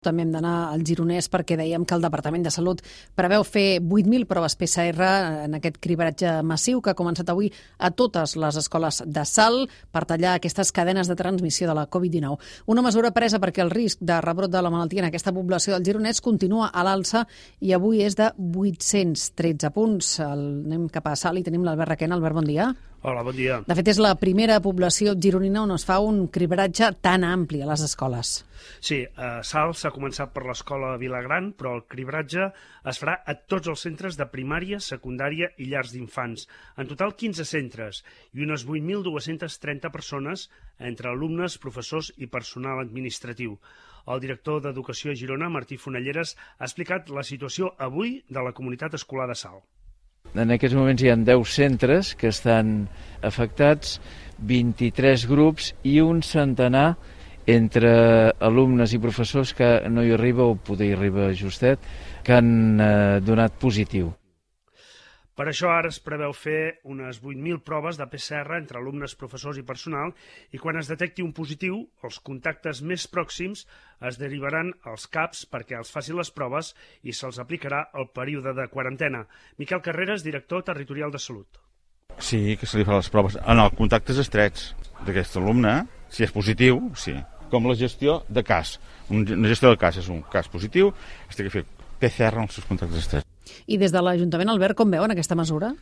També hem d'anar al Gironès perquè dèiem que el Departament de Salut preveu fer 8.000 proves PCR en aquest cribratge massiu que ha començat avui a totes les escoles de Salt per tallar aquestes cadenes de transmissió de la Covid-19. Una mesura presa perquè el risc de rebrot de la malaltia en aquesta població del Gironès continua a l'alça i avui és de 813 punts. Anem cap a Salt i tenim l'Albert Requena. Albert, bon dia. Hola, bon dia. De fet, és la primera població gironina on es fa un cribratge tan ampli a les escoles. Sí, a Salt s'ha començat per l'escola Vilagran, però el cribratge es farà a tots els centres de primària, secundària i llars d'infants. En total, 15 centres i unes 8.230 persones entre alumnes, professors i personal administratiu. El director d'Educació a Girona, Martí Fonelleres, ha explicat la situació avui de la comunitat escolar de Salt. En aquests moments hi ha 10 centres que estan afectats, 23 grups i un centenar entre alumnes i professors que no hi arriba o poder hi arriba justet, que han donat positiu. Per això ara es preveu fer unes 8.000 proves de PCR entre alumnes, professors i personal i quan es detecti un positiu, els contactes més pròxims es derivaran als CAPs perquè els facin les proves i se'ls aplicarà el període de quarantena. Miquel Carreras, director territorial de Salut. Sí, que se li farà les proves en els contactes estrets d'aquest alumne, si és positiu, sí. Com la gestió de cas. Una gestió de cas és un cas positiu, es té que fer PCR en els seus contactes estrets. I des de l'Ajuntament, Albert, com veuen aquesta mesura?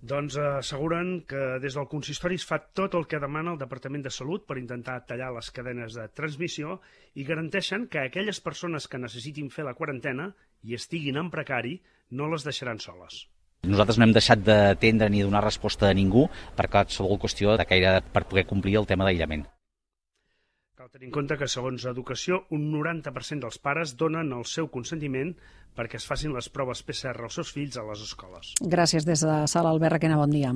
Doncs asseguren que des del consistori es fa tot el que demana el Departament de Salut per intentar tallar les cadenes de transmissió i garanteixen que aquelles persones que necessitin fer la quarantena i estiguin en precari no les deixaran soles. Nosaltres no hem deixat d'atendre ni donar resposta a ningú per qualsevol qüestió per poder complir el tema d'aïllament. Cal tenir en compte que, segons Educació, un 90% dels pares donen el seu consentiment perquè es facin les proves PCR als seus fills a les escoles. Gràcies des de Salt, Albert Requena, bon dia.